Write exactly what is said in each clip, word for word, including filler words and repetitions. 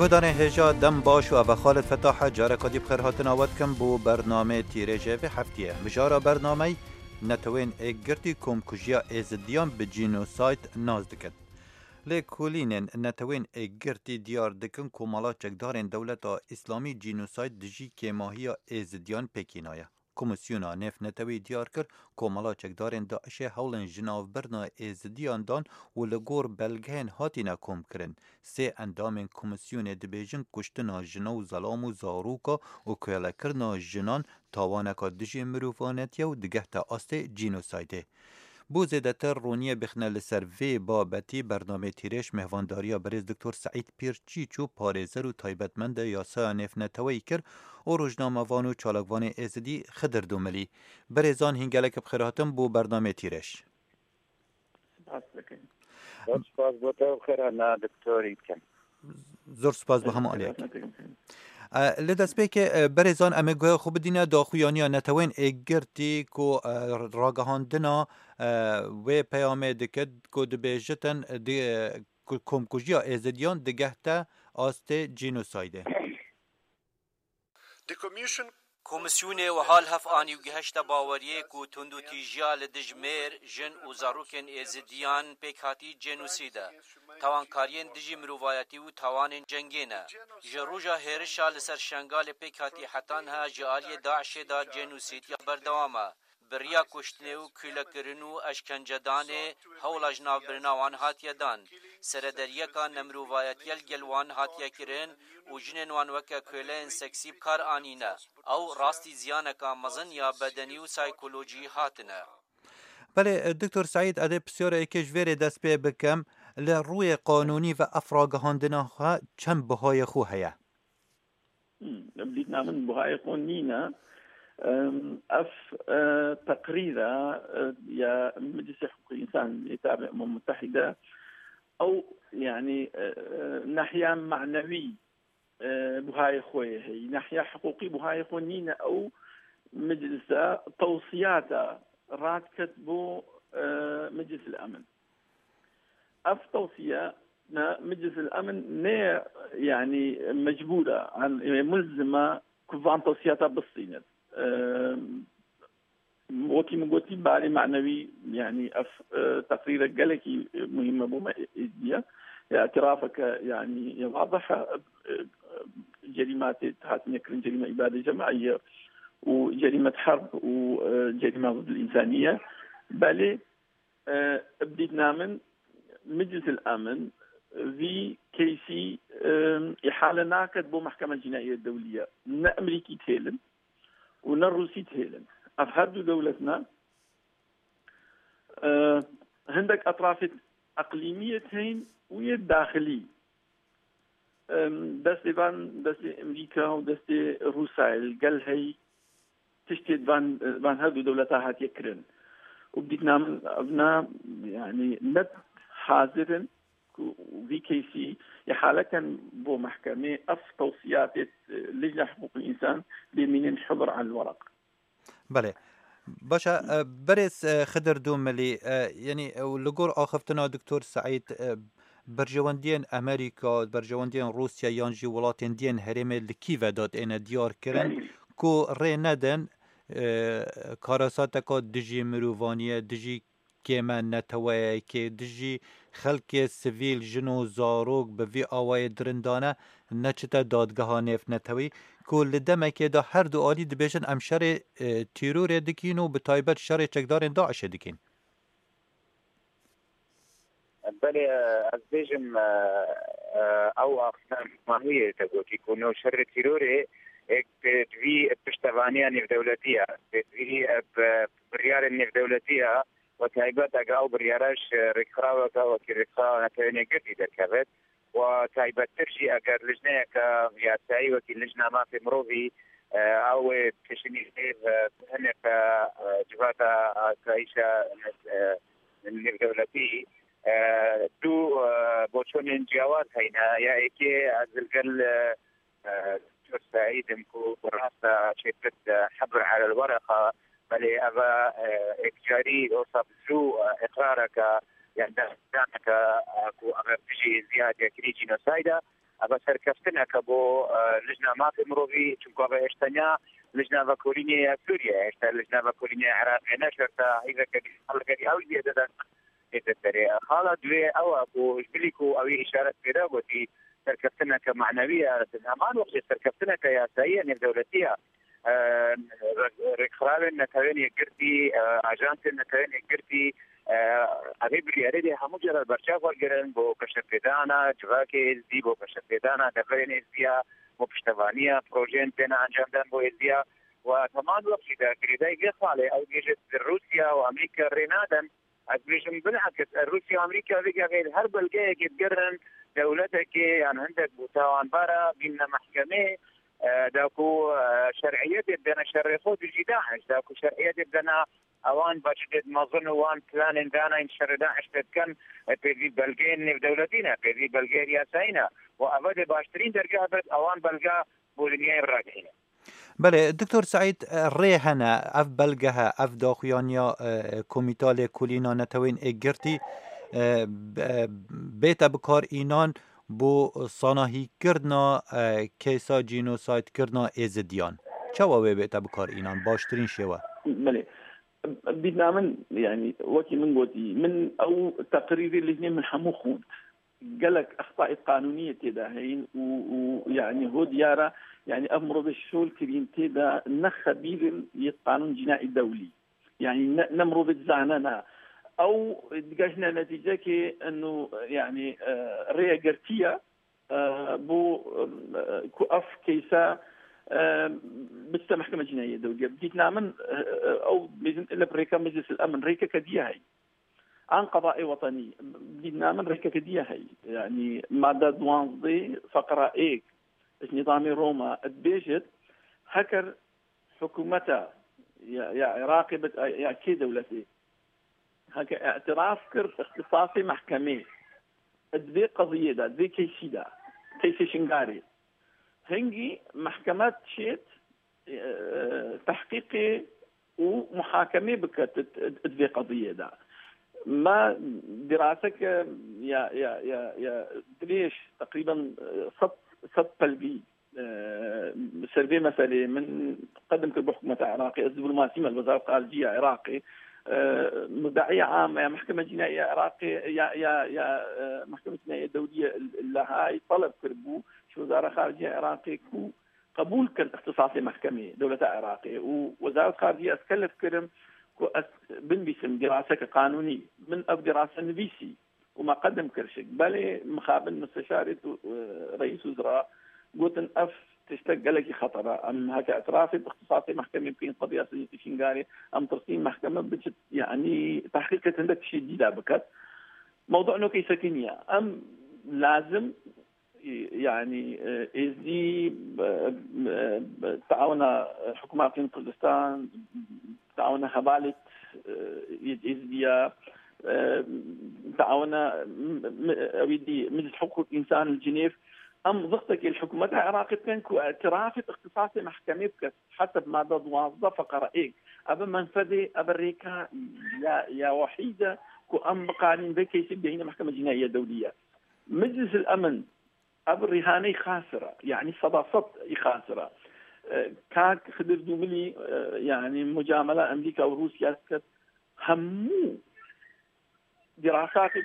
Guhdarên hêja dem baş û eve Xalid Fetah e, careka dî bi xêrhatina we dikim bo bernameyê Tîrêjê vê heftiyê. Mijara bernameyê: Neteweyên Êkgirtî komkujiya Êzidiyan bi cînosayd nas dikin. Lêkolînên Neteweyên Êkgirtî diyar dikin ku mala çekdarên Dewleta Îslamî cînosayd dijî kêmahiya Êzidiyan pêkînaye. Komîsyona Nêvnetewî diyar kir ku mala çekdarên DAIŞê hewlên jinavbirina Êzidiyan dan û li gor belgeyên hatine komkirin, sê endamên komîsyonê dibêjin kuştina jina û zelam û zaroka û kölekirina jinan tawaneka dijî mirovanetiyê û digehte astê cînosaydê. Bo zêdetir roniyê bixine li ser vê babetî, bernameyê Tîrêj mêhvandariya berêz Doktor Seîd Pîr Çîço, parêzer û taybetmendê yasaya nêvneteweyî kir û rojnamevan û çalakvanê Êzidî Xidir Dumilî. Berêzan, hîn gelek bi xêr hatin bo bernameyê Tîrêj. Spas dikim. Zor spas bo te û xêrhana doktorî dikim. Zor spas bo hemû aliyek. E, li destpêkê, e, berêzan, em ê guhê xwe bidîne daxuyaniya Neteweyên Êkgirtî ku, e, ragihandina, e, wê peyamê dikit ku dibêjitin, e, di, e, ku komkujiya Êzidiyan digehte astê cînosaydê. The Commission Komîsyonê wiha li hev anî û gihişte baweriyê ku tundûtîjiya li dij mêr, jin û zarokên Êzidiyan pêk hatî cênosîd e, tawankariyên dijî mirovayetî û tawanên cengê ne. Ji roja hêrişa li ser Şengalê pêk hatî heta niha ji aliyê DAIŞê de cênosîdiya berdewam e. Bi riya kuştinê û kûlekirin û eşkencedanê hewla jinavbirina wan hatiye dan. Seredariyeka nemirovayetiye li gel wan hatiye kirin û jinên wan weke köleyên seksî bi kar anîne. Ew rastî ziyaneka mezin ya bedenî û saykolojî hatine. Belê, Doktor Seîd, ez ê pisyara yekê ji vê rê dest pê bikim. Li rûyê qanûnî ve ev ragihandina xwe çend bihayê xwe heye? Hmm, bi dîtina min buhayê xwe nîne. Em, ev, e, teqrîra, e, ya Meclisê Hiqûqê Însan yê tabe Umem Mutehîde, ew, yanî, e, e, nehiya manewî, e, buhayê xwe yê heyî. Nehiya hiqûqî buhayê xwe nîne, ew meclisa tewsiyata radiket bo, e, Meclis el Emin. Ev tewsiye ne Meclis el Emin ne, yanî mecbûr e, an, e, mulzim e ku van tewsiyata bistînin. E, wekî min gotî, barê manewî, yanî ev, e, teqrîrek gelekî, e, muhîm e bo me êdî ye. Ya îtirafeke, yanî, ya wadih e, e, cerîma tê hatine kirin, cerîma îbadê cemaî ye û cerîmet herb û, e, cerîma zid el însanî ye. Belê, E, bi dîtina min, Meclis el Emin vî keysî, e, îhale naket bo Mehkema Cînaîyê Dewlî ye. Ne Emerîkî dihêlin û ne Rûsî dihêlin. Ev her du dewletna, e, hindek etrafê eqlîmî yê dihên û yê daxilî. Em, destê van, destê Emerîka û destê Rûsayê li gel hey tiştê van, van her du dewleta hatiye kirin. Û bi dîtina min evna, yanî ne hazir in ku vî keysî îhale ken bo mehkemê, ev tewsiyatê Lijna Hiqûqil Însan bê mînin hizir el weraq. Belê. Baş e, e, berêz, e, Xidir Dumilî, e, yanî, e, li gor axiftina Doktor Seîd, e, berjewendiyên Amerîka, berjewendiyên Rûsya yan jî welatên diyên herêmê li kî ve datêne diyar kirin ku rê nedin, e, karasateka dijî mirovaniyê, dijî kême neteweyekê, dijî xelkê sivîl, jin û zarok bi vî awayê dirindane neçite dadgeha nêvnetewî, ku li demekê de her du alî dibêjin, em şerê, e, tîrorê dikîn û bi taybet şerê çekdarên DAIŞê dikîn. Belê, ez bêjim, e, e, ew axiftina mahiyê te gotî ku no şerê tîrorê êk bi, bi vî piştevaniya nêvdewletî ye, bi vî, e, bi biryarên nêvdewletî ye, we taybet eger ew biryara ji rêkxiraweke wekî Rêkxirawa Netewên Yekgirtî derkevit, we taybettir jî eger lijneyeke yasayî wekî Lijna Mafê Mirovî, e, ew ê pêşînî vê, e, hinek, e, civata asayîşa, e, nêvdewletî, e, du, e, boçonên ciyawaz heyne. Ya êkê ez li gel, e, e, Doktor Seîd im ku bi rast e çêkir, e, hebr elel wereqa, belê ev e, e, êkcarî wisa bi zû, e, îqrareke, yan destdaneke, e, ku ev e dijî êzdiya hatiye kirî cînosayd e. Eve serkeftineke bo, e, Lijna Mafê Mirovî, çunku eve hêştenya Lijna Vekolînê ya Sûriye, hêşta Lijna Vekolînê ya Iraqê ne şerta hîveke dî saleke dî ew jî dide. Ê te serê. Xala duê ew e ku ji bilî ku ew ê îşaret pê de gotî, serkeftineke manewî ye, di heman wextê serkeftineke yasayî ye, nêvdewletî ye. E, rê-, rêkxirawên Netewên Yekgirtî, e, ajansên Netewên Yekgirtî, e, evê biryarê dê hemû cara li berçav wergirin bo geşepêdana civakê êzdî, bo geşepêdana deverên êzdiya, bo piştevaniya projeyên têne encamdan bo êzdiya. Û heman wext jî de girêdayî vê xalê ew bêje, Rûsya û Amerîka rê nadin. Ez bêjim bilakis, e, Rûsya û Amerîka vê gavê li her belgeyekê digerin dewletekê yan hindek bû tawanbara bînne mehkemê, e, da ku, e, şer'iyetê bidene şerê xwe dijî DAIŞ, da ku şer'iyetê bidene ewan budgetê mezin û wan planên dana yên şerê DAIŞ tê dikin, e, pêvî belgeyên nêvdewletî ne, pêvî belgeyên yasayî ne. Û eve dê baştirîn dergeh be ewan belge bo dinyayê ragihîne. Belê, Doktor Seîd, rê hene, ev belgehe, ev daxuyaniya, e, Komîta Lêkolîna Netewên Êkgirtî, e, b-, e, bête bikar înan bo sanahîkirina, e, keysa cînosaydkirina Êzidiyan. Çawa wê bête bikar înan? Baştirîn şêwe. Belê. Bîdna min, yanî, wekî min gotî, min ew teqrîrê lêhnê min hemû xwend. Gelek extayê qanûnî yê tê de heyîn û, û, yanî, ho diyar e, yanî, ev mirovê şol kirîn tê de ne xebîr in yê qanûn cînaî dewlî. Yanî, ne, ne mirovê dizane ne. Ew digehîne netîcekê eno, yanî, e, rêyegirtiye, e, bo, e, ku ev keyse, e, biçite Mehkeme Cînaî yê Dewlî ye. Dîtina min, e, e, ew bêjin ile bi rêka Meclis el Emin, rêkeke diye heyî. An qedaê wetenî, dîtina min rêkeke diye heyî. Yanî madde duwazdeh feqra êk ji nîzamê Roma dibêjit, heker hikûmeta ya, ya Iraqê bit, ya kê dewletê, heke îtiraf kir ixtisasê mehkemê di vê qeziyê de, di vê keysî de, keysê Şingarê, hingî mehkeme çêt, e, tehqîqê û muhakemê biket di, di, di vê qediyê de. Me dîraseke ya, ya, ya, ya dirêj, teqrîben, e, sed, sed pelgî, e, ser vê meselê min qedim kir bi hikûmeta Iraqê. Ez diplomasî me li Wezareta Xariciya Iraqê. E, muddeîya am ya Mehkeme Cînaî ya Iraqê, ya, ya, ya, e, Mehkeme Cînaî ya Dewlî ya Lehayê teleb kiribû ji Wezareta Xariciya Iraqê ku qebûl kin ixtisasê mehkemê dewleta Iraqê û Wezaret Xariciyê ez kelef kirim ku ez binivîsim dîraseke qanûnî. Min ev dîrase nivîsî û me qedim kir şik. Belê, mixabin misteşarê tu, e, reîs wezra gotin ev tiştek gelekî xeter e. Em heke îtirafê bi ixtisasê mehkemê bikin qediya Şingarê, em tirsîn mehkeme biçit, yanî tehqîqê hindek tiştê dî de biket. Mewdu nokê sekiniye. Em lazim yanî, e, êzdî, e, e, taawuna, e, hikûmeta Aqlîm Kurdistan, taawuna hevalêt, e, yê êzdiya, e, taawuna, m-, m-, ewî dî, Meclis Hiqûq Însan li Cinêv, em zixtekê li hikûmeta Iraqê bikin ku îtirafê bi ixtisasê mehkemê bike, heseb made duwazdeh feqere êk. Ev e menfedê, ev e rêka ya, ya wehîd e ku em biqanîn vê keysê bidehîne Mehkeme Cînaî ya Dewlî ye. Meclis el Emin, ev rîhaneyî xasir e, yanî seda sed î xasir e. E, kak Xidir Dûmilî, e, yanî mucamela Amerîka û Rûsya diket, hemû dîrasatê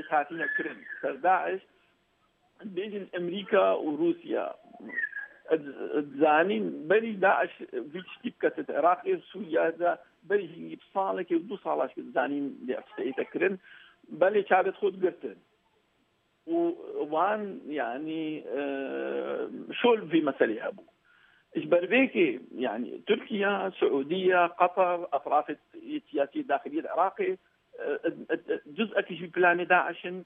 hatine kirin ser DAIŞ, dibêjin Amerîka û Rûsya, e, zanîn berî DAIŞ vî tiştî biketit Iraqê û Sûriye de berî hîn bi salekê û du sala ji zanîn lê ev tiştê hate kirin, belê çavêt xwe digirtin. û wan, yanî, e, şol vî meselê hebû. Ji ber vê kê, yanî, Tirkiye, Siûdiye, Qatar, etrafê siyasî daxiliyê li Iraqê, e, e, e, cuz'ekî ji planê DAIŞ in.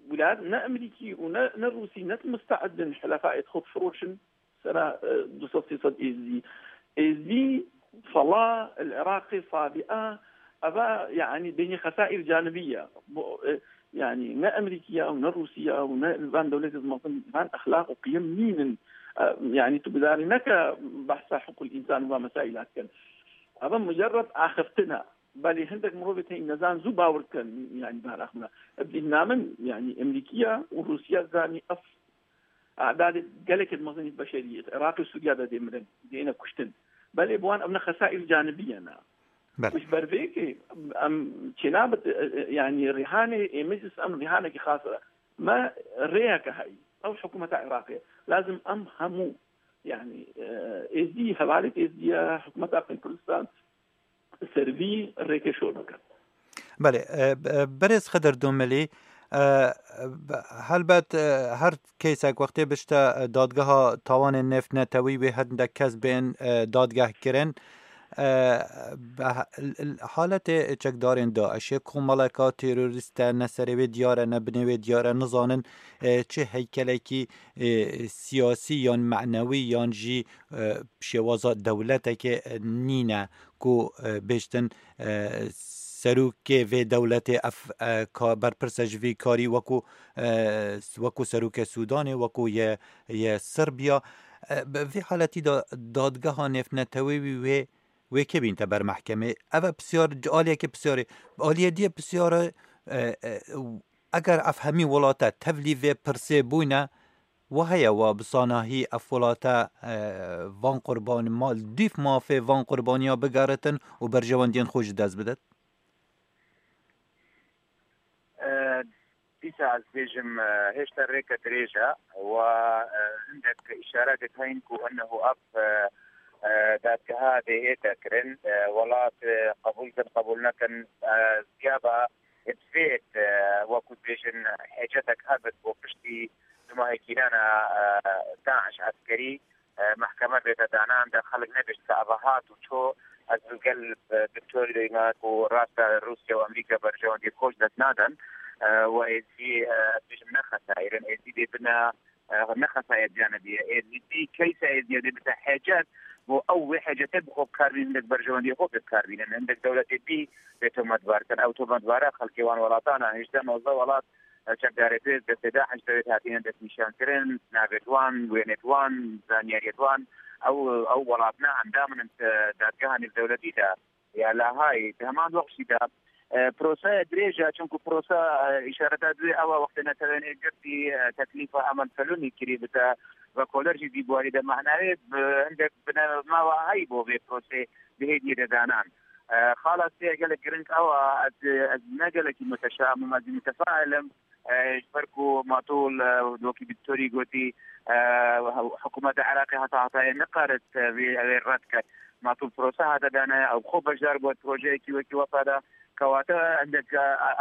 Wilayet ne Amerîkî û ne, ne Rûsî ne muste'id in helefayê xwe bifiroşin. Sera, e, du sed sê sed Êzidî. Êzidî sala li Iraqê sabiqa, eva, yanî, bênî xesaîr canibî ye. Bu, e, yanî, ne Amerîkiya û ne Rûsiya û ne van dewletê mezin, van exlaq û qiyem nînin. E, yanî, tu gudarî neke behsa hiqûl însan û van mesaîla dikin. Eva mucerred axiftin e. Belê hindek mirovê tey nezan zû bawer dikin, yanî, van axiftina. Bi dîtina min, yanî, Amerîkiya û Rûsiya zanî ev Adadê gelekê mezin beşeriyê Iraqê û Sûriya de dê mirin, dê ne kuştin. Belê bi wan ev ne xesaîr canibiye ne. Belê. Ji ber vê yekê em çênabit, e, e, yanî rîhanê ê meclis em rîhanekî xas e. Me rêyeke heyî. Ew hikûmeta Iraqê. Lazim em hemû, yanî, e, êzdî, hevalêt êzdî ye, hikûmeta Aqîn Kurdistan, ser vî rêkê şor bikin. Belê, e, b-, e, berêz Xidir Dûmilî, e, b-, helbet, e, her keysek wextê bişte, e, dadgeha tawanên nêvnetewî wê hindek kes bên, e, dadgeh kirin. E, be-, l-, l-, haletê çekdarên DAIŞê, komeleka terorîst e, ne serê wê diyar e, ne binê wê diyar e, nizanin, e, çi heykelekî, e, siyasî yan menewî yan jî, e, şêwaza dewletekê, e, nîne ku, e, bêjtin, e, serokê vê dewletê ev, e, ka-, berpirs e ji vî karî wekû, e, wekû serokê Sûdanê, wekû yê, yê Sirbiya. E, bi vî haletî de dadgeha nêvnetewî wî wê, wê kê bînte ber mehkemê? Ev e pisyar, aliyekê pisyarê. Aliyê diyê pisyarê, e, e, eger ev hemî welate tevlî vê pirsê bûyne, Wa heye, wa bi sanahî ev welate, e, van qurbanî, ma-, dîf mafê van qurbaniya bigeritin û berjewendiyên xwe ji dest bidin? E, dîsa ez bêjim, e, hêşta rêke dirêj e. Wa, e, hindek îşaretê heyîn ku ennehu ev, e, e, dadgeha dê hête kirin. E, welat, e, qebûl kin, qebûl nekin, e, ziyaba Divêt, e, wekû dibêjin, hêcetek hebit bo piştî du mahê kîrana, e, DAIŞ eskerî, e, mehkeme bête danan de xelk nebêjt ke eva hat û ço. Ez bi gel, e, doktorê me ku rast e Rûsya û Amerîka berjewendiyê xwe ji dest nadin, e, we êzî, e, ez bêjim ne xesayîrin, êzî dê bine e, ne xesayet canibiye. Êzîdî keysa êzîdî bite hecet, bo ew wê hecete bi xwe bi kar bînin, hindek berjewendiyê xwe pê bi kar bînin. Hindek dewletê bî bê tometbar kin. Ew tometbara xelkê wan welatan e, hejdeh nozdeh welat, e, çekdarê pêz destê DAIŞ de wê hatine destnîşankirin, navêt wan, wênêt wan, zanyariyêt wan. Ew, ew welat ne endam in, e, dadgeha nêvdewletî de. Ya Lahayî. Di heman wext jî de, e, proseya dirêj e, çunku prosa, e, îşareta duyê ew e, wextê Netewên Yekgirtî, e, teklîfa Emel Felûnî kirî bite vekoler jî dî buwarî de mehnayê bi hindek binema wahayî bo vê prosê di hêdiyê de danan. E, xala sê gelek giring ew e, ez, ez ne gelekî muteşam im, ez jî mutefail im. E, ji ber ku Matûl, e, wekî doktorî gotî, e, hikûmeta Iraqê heta hetayê nikarit, e, vê, vê red ket. Matûl prosa hate dane, ew xwe beşdar bû projeyekî wekî wesa de. Kewate hindek, e,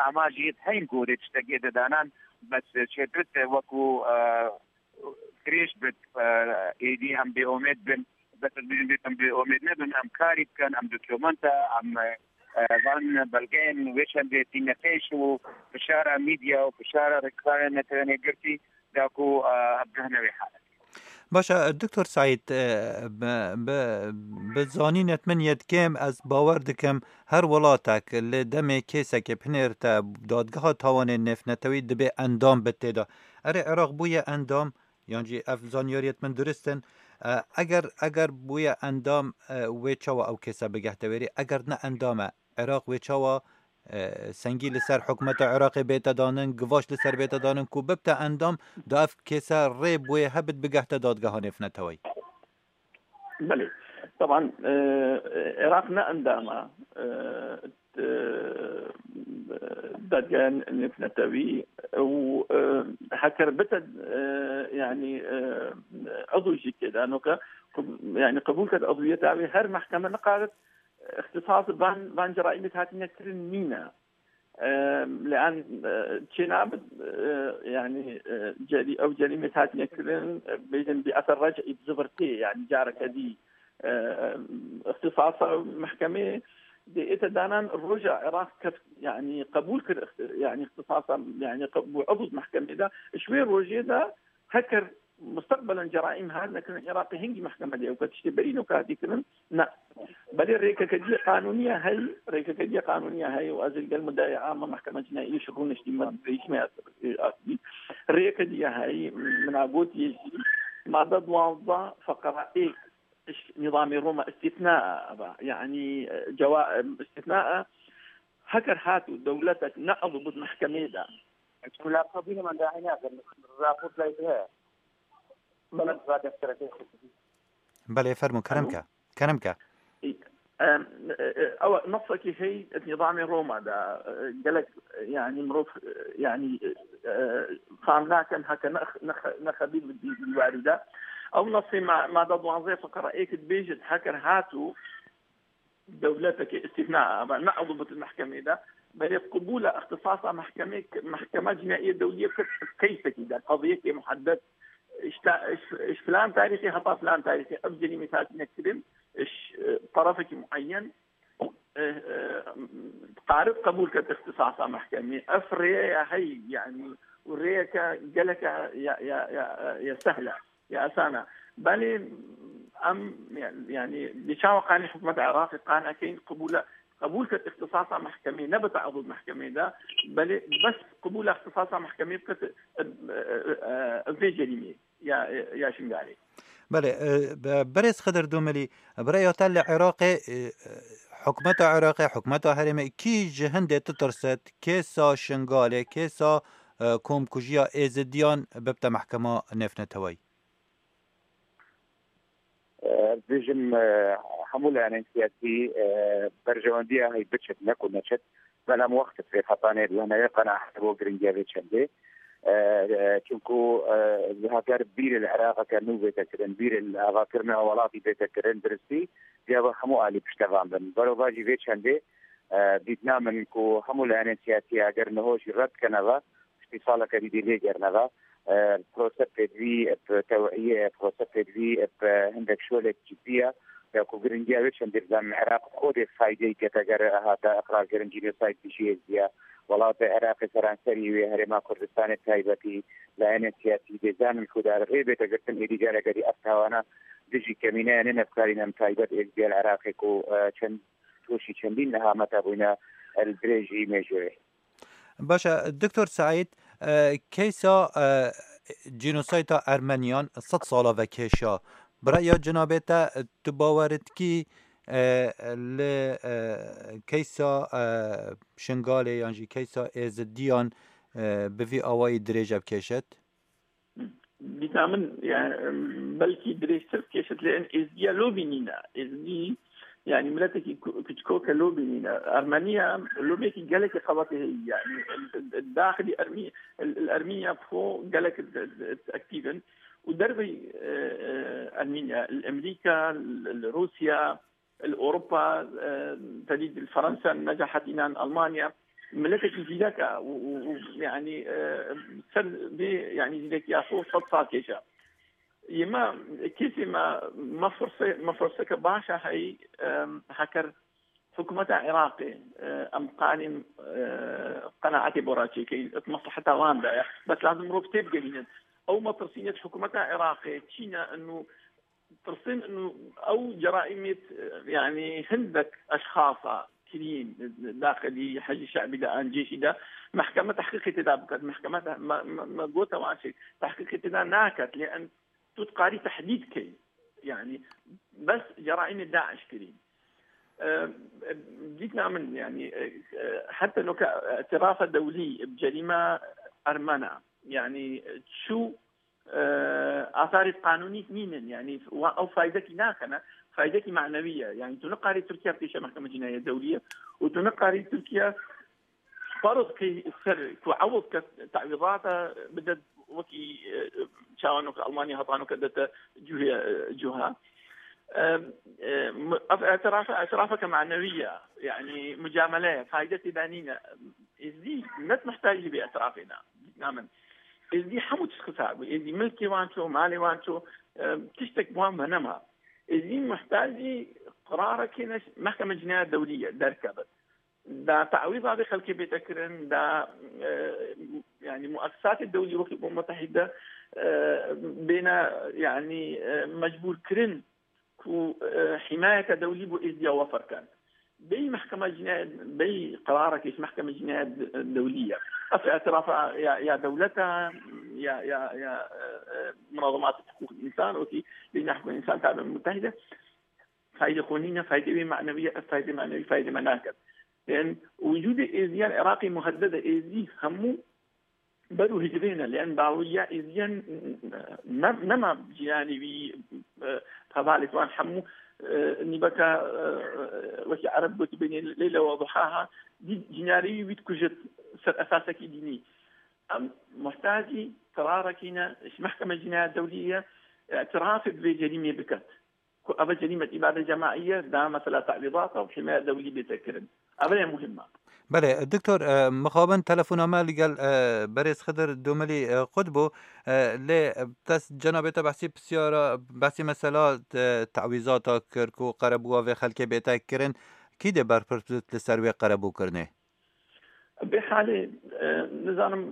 amajî heyîn ku dê tiştekê de danan, bes çêdirit, e, wekû, e, dirêj bit, e, êdî em bêomêd bin. Bes ez bêjim, em bêomêd nebin, em karî bikin, em dokumenta, em, e, van belgeyên wê çendê tîne pêş û fişara medya û fişara rêkxistarên Netewên Yekgirtî da ku, e, em bigihne wê haletê. Baş e, Doktor Seîd, e, bi, bi, bi zanînet min yê dikêm, ez bawer dikim, her welatek li demê kêsekê binêrite dadgeha tawanên nêvnetewî dibê endam bi tê de. Erê, Iraq bûye endam, yan jî ev zanyariyêt min durist in. E, eger, eger bûye endam, e, wê çawa ew kêse bigehte wêrî? Eger ne endam e, Iraq wê çawa, e, sengî li ser hikûmeta Iraqê bête danin, givaş li ser bête danin ku bibte endam, da ev kêse rê bûye hebit bigehte dadgeha nêvneteweyî? Belê. Taban, e, Iraq ne endam e, e, dadgeha nêvnetewî û, e, heker bite, e, yanî, e, ezo jî tê de noke, qub-, yanî qebûl ket ezwiyeta wê, her mehkeme nikarit îxtisas van, van ceraîmê hatine kirin nîne. E, lean, e, çênabit, e, yanî, e, cerî-, ew cerîmê hatine kirin, e, bêjin bi eser rec'î, bi zivirtê, yanî careke dî, e, îxtisasa mehkemê dê ête danan roja Iraq keft, yanî qebûl kir îxti-, yanî îxtisasa, yanî qe-, bû ew mehkemê de. Ji wê rojê de heker mustaqbelen ceraîm hatine kirin Iraqê, hingî mehkeme dê ew tiştê berî noke hatî kirin? Ne. Belê rêkeke dî qanûnî ye hey, rêkeke dî qanûnî ye hey û ez li gel muddeya ama mehkeme cinaî ji rûniştî me rejîmê asbî. Rêke dî ye hey, min a gotiye jî, madde duwazdeh feqra ê ji nîzamê Roma îstîsna e, eva, yanî, e, cewa-, e, îstîsna e, heker hat û dewletek ne ew bût mehkemê de. Çi mulaqa bîne me dahî nakin, raport lay heye. Belê, fermo, kerem ke. Kerem ke. Em, e, e, ew nesekî hey nizamê Roma de, e, gelek, yani mirov, e, yani, e, fam nakin heke nex-, nex-, nexebîr bi dî-, dîwarî de. Ew nesê ma-, made duanzê fiqara êk dibêjit heker hatu dewletekê îstîfna, ama ne ew bit mehkemê de, belê qibûla îxtisasa mehkemê, mehkema cînayî dewlî kir keysekî de, qeziyekê muheddet, işte, iş, iş filan tarîxê heta filan tarîxê ev cerîmê hatine kirin, iş, e, tarafekî muayyen, e, e, qarib qebûl ket îxtisasa mehkemê. Ev rêye ya hey, yani, û rêyeke geleke ya, ya, ya, ya sehle. Ya esana. Belê em, yani, di çawa qanî hikûmeta Iraqê qane keyin qibûle, qebûl ket îxtisasa mehkemê, ne bite ew mehkemê de, belê bes qibûla îxtisasa mehkemê biket, e, e, e, vê cerîmê ya, ya Şingalê. Belê, e, be-, berêz Xidir Domelî, bi rêya te li Iraqê, e, e, hikûmeta Iraqê, hikûmeta herêmê kî ji hindê titirsit, kêsa Şingalê, kêsa, e, komkujiya Êzidiyan bibte mehkema nêvneteweyî? Ez dibêjim, e, hemû layanên siyasî, e, berjewendiya hey biçit, ne ku neçit, bela em wext fê xetanê di wehne qenaet bo giringiya vê çendê. E, e, çunku, e, heger bîrê li Iraqeke nû bête kirin, bîrê li avakirina welatî bête kirin, diristî, diya bi hemû alî piştevan bin. Berovajî vê çendê, e, dîtina min ku hemû layanên siyasî heger niho jî red keneve, piştî saleke dî dê lê gerneve. E, proses pêdivî bi tewiyê, proses pêdivî bi hindek şolek cidî ye. Ya ku giringiya wê çendê bizan Iraq xwe dê faydeyê kete ger hate iqrarkirin cînosayd dijî Êzidiya. Welatê Iraqê seranserî wê herêma Kurdistanê taybetî, layenê siyasî dê zanin ku dar rê bête girtin êdî careke dî ev tawana dijî kemîneya nênevkarîn em taybet Êzidiya li Iraqê ku, e, çend toşî çendîn niha mete bûyne el dirêjî mêjûrê. Baş e, Doktor Seîd, e, keysa, e, cînosayda Ermeniyan sed sala vekêşa. Bi raya cenabê te, e, tu bawer dikî, e, li, e, keysa, e, Şingalê yan jî keysa Êzidiyan, e, bi vî awayî dirêj bikêşit? Dîsa min, yani, belkî dirêjtir kêşit lê en Êzdiya lobî nîne. Êzdî, yani, miletekî ku-, kuçkoke lobî nîne. Ermeniya lobekî gelekî xebatê heye, yani, daxilî Ermî-, el, el Ermînya xo gelek d-, d-, d-, aktîv in. Û dervey, e, e, Ermînya, el Emerîka, el, el Rûsya, li Ewropa, e, tedî li Fransa, necahet înan Almanya, miletekî zîrek e û, û, û, yani, e, ser vê, yani, zîrekiya xwe sed sal kêşe. Yê me, kesê me, me firse-, me firseke baş e hey, e, heker hikûmeta Iraqê, e, em qanîn, e, qenaetê bo re çêkeyin, di mesleheta wan de ye. Bes lazim mirov têbigerînin. Ew metirsînê di hikûmeta Iraqê çî ne, inu tirsên inu ew ceraîmêt, yani hindek eşxasa kirîn, daxilî Hecî Şe'bî de an cêşî de mehkeme tehqîqê tê de biket. Mehkeme te-, me, me, me gote wan şey, tehqîqê tê de naket, lê en tu dikarî tehdîd key. Yani bes ceraîmê DAIŞ kirîn. E, dîtina min, yani, e, e, heta noke îtirafa dewlî bi cerîma Ermena, yani, çû, e, asarê qanûnî nînin, yani, wa-, ew faydekî nakene, faydekî manewî ye. Yani, tu nikarî Tirkiye pêşe Mehkeme Cînayê Dewlî ye û tu nikarî Tirkiye Parod ki ser ku ewil ke tewîzata bide wekî, e, çawa noke Almanya heta noke dete cuhê, e, cuha. E, e, mu-, ev îtirafa, îtirafeke manewî ye. Yani mucamele ye, fayde tê de nîne. Êzdî net muhtacî vê îtirafê ne. Namin. Êzdî hemû tişt xisar bû. Êzdî milkê wan ço, malê wan ço, e, tiştek wan venema. Êzdî muhtacî qirarekê ne, Mehkeme Cînaya Dewlî ye, derkeve. Da tewîza vê xelkê bête kirin, da, e, yani muessisatê dewlî wekî Umem Mutehîde, e, bêne, yani, e, mecbûr kirin ku, e, hîmayeke dewlî bo Êzdiya wefer ken. Bey mehkema cînayet, bey qerarekê ji mehkeme cînayet dewlî ye. Ev îtirafa ya, ya dewleta, ya, ya, ya, e, e, munazemat hukuk însan, wekî Lîjna Hukuk Însan ta Umem Mutehîde. Faydê xwe nîne, faydê wê manewî ye, ev faydê manewî faydê me naket. Ên wicûdê Êzdiyan Iraqê muhedded e, Êzdî hemû Ber û hicrê ne, lê em dawiya êziyan ne, nema cinanî wî, e, hevalê wan hemû, e, nîbeka, e, wekî Ereb gotibênê, Leyla ve duhaha, dî cinarî wî dikujit ser esasekî dînî. Em muhtacî qerarekî ne, ji Mehkeme Cinayet Dewlî ye, îtirafê bi vê cerîmê biket. Ku ev cerîmet îbade cemaî ye, da mesela tewîzata û himaya dewlî bête kirin. Ev e muhim e. Belê, doktor, e, mixabin telefona me li gel, e, berêz Xidir Domilî, e, qut bû. E, lê, e, te s-, cenabê te behsî pisyara, behsî mesela, e, tewîzata kir ku qerebûya vê xelkê bête kirin. Kî dê berpirs bit li ser wê qerebûkirinê? Bê halê, e, nizanim,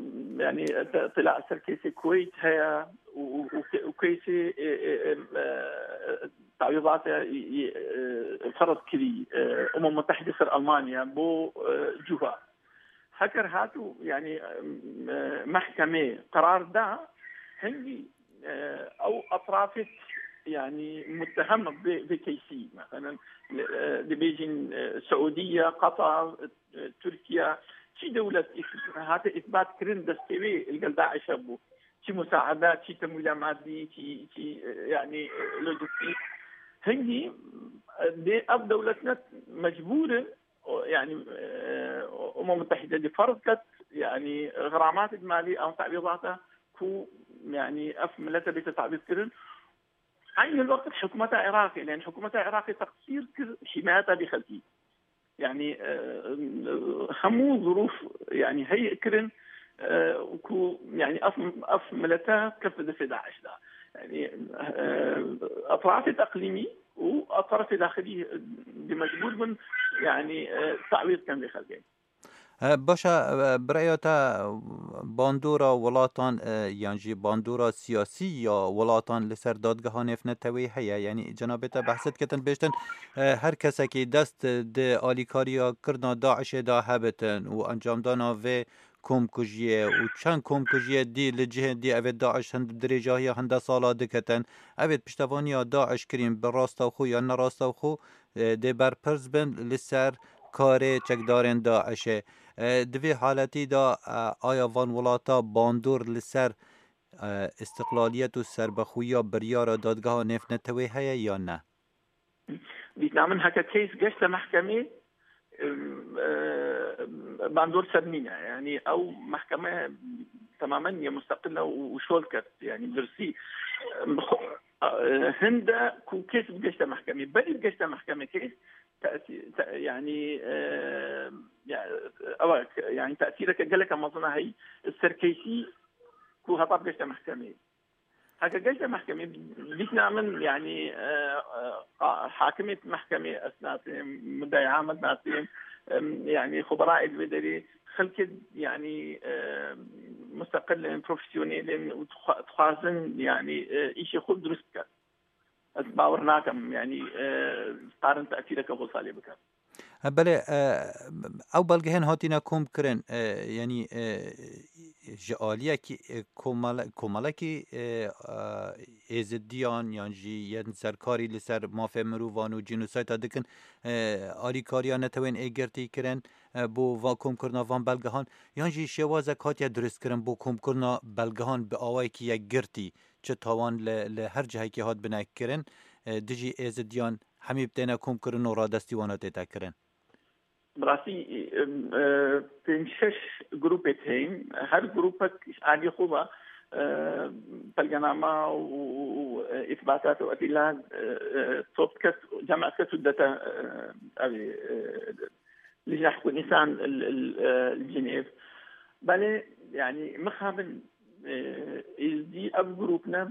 yani, te-, tila ser keysê Kuweyt heye û, û, û ke-, û keysê, e, e, e, e, tewîzata, e, e, ferz kirî, e, Umem Mutehide ser Almanya bo, e, cuha. Heker hat û, yani, e, e, mehkemê qerar da, hingî, e, ew etrafê, yani, mutehem bi, bi keysî, mesela, e, dibêjin, e, Siûdiye, Qatar, e, Tirkiye, çi dewlet îs-, hate îsbat kirin destê wê li gel DAIŞ hebû. Çi musaada, çi temwîla madî, çi, çi, e, yani, e, lojistîk. Hingî, e, dê ev dewletine mecbûr in, o, yani, e, Umem Mutehide dê ferz ket, yani, xiramatê malî ew tewîzata ku, yani, ev milete bête tewîz kirin. Eynî wextê hikûmeta Iraqê, yani, hikûmeta Iraqê teqsîr kir, himayeta vê xelkî. Yani, e, hemû zirûf, yani, heyî kirin, e, ku, yani, ev, ev milete kefte destê DAIŞ de. Yani, e, etrafê eqlîmî û etrafê daxilî, e, dê mecbûr bin, yani, e, tewîz ken vê xelkê. E, baş e, e, bi rêya te, bandora welatan, e, yan jî bandora siyasî ya welatan li ser dadgeha nêvneteweyî heye? Yanî cenabê te behs dikitin, bêjtin, e, her kesekî dest di alîkariya kirina DAIŞê de hebitin û encamdana vê komkujiyê û çend komkujiyê dî li cihên dî, evê DAIŞ hin-, dirêjahiya hinde sala diketin. Evê piştevaniya DAIŞ kirîn bi rastewxo yan nerastewxo, e, dê berpirs bin li ser karê çekdarên DAIŞê. E, di vê haletî de, e, aya van welata bandor li ser, e, îstiqlaliyet û serbexwiya biryara dadgeha nêvneteweyî heye yan ne? Dîtina min heke keys geşte mehkemê, em, e, bandor ser nîne. Yani ew mehkeme temamen ye musteqil e û, û şol ket. Yani birsî, em, xo-, e, hinde ku keys bi geşte mehkemê. Berî bi geşte mehkemê keys tesî-, te-, yani, e, ya, ewa, yani tesîreke geleke mezin e hey ser keysî ku heta bi geşte mehkemê. Heke geşte mehkemê, dîtina min, yani, e, e, qa-, hakimê mehkemê ez nasêm, muddeî am ez nasêm, em, yani, xubera ê di vê derê xelkê, yani, e, musteqil in, profesyonel in û dixwa-, dixwazin, yani, e, îşê xwe dirust bikin. Ez bawer nakim, yani, e, karin tesîreke xwe salê bikin. E, belê, e, ew belgehên hatine kom kirin, e, yanî, e, ji aliyekî, e, komele-, komelekî, e, e, êzidiyan yan jî yên serkarî li ser mafê mirovan û cînosayta dikin, e, alîkariya netewên êgirtî kirin, e, bo va-, komkirina van belgehan, yan jî şêwazek hatiye dirustkirin bo komkirina belgehan bi awayekî yekgirtî, çi tawan li, li her cihekî hat bine kirin, e, dijî êzidiyan hemî bi têne komkirin û radestî wana tête kirin? Bi rastî, em, e, pênc şeş grûpê heyîn. Her grûpek alî xwe ve, e, belgenama û, û, û, e, îsbatat û edîla, e, e, top ket, cem ket û dete, e, evê, e, Lijneh Hukûk Însan li, li, e, li Cinêv. Belê, yani, mixabin, e, êzdî ev grûp ne,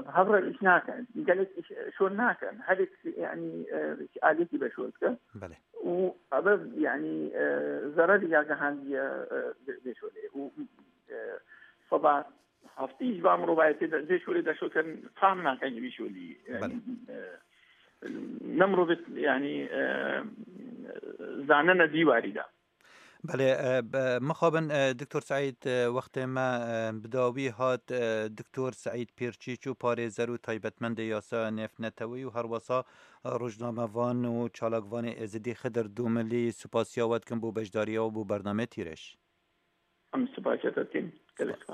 bi hev re îş nakin. Gelek îş, şol nakin. Herek, yani, e, aliyekî be şol dike. Belê. Û ev, yani, e, zererî ya gihandiye, e, vê, vê şolê. Û, e, seba heftî ji van mirovayetê de, vê şolê de şol ken, fam nakin ji vî şolî. Yani, Belê. E, ne mirovê, yani, e, zanine dîwarî de. Belê, e, be-, mixabin, e, Doktor Seîd, e, wextê me, e, bi dawî hat, e, Doktor Seîd Pîrçîçû, parêzer û taybetmendê yasaya nêvneteweyî û herwesa, e, rojnamevan û çalakvanê Êzidî Xidir Dûmilî, supasiya we dikim bo beşdariya we bo bernameyê Tîreş. Em sibaja te tîn. Gelek spas.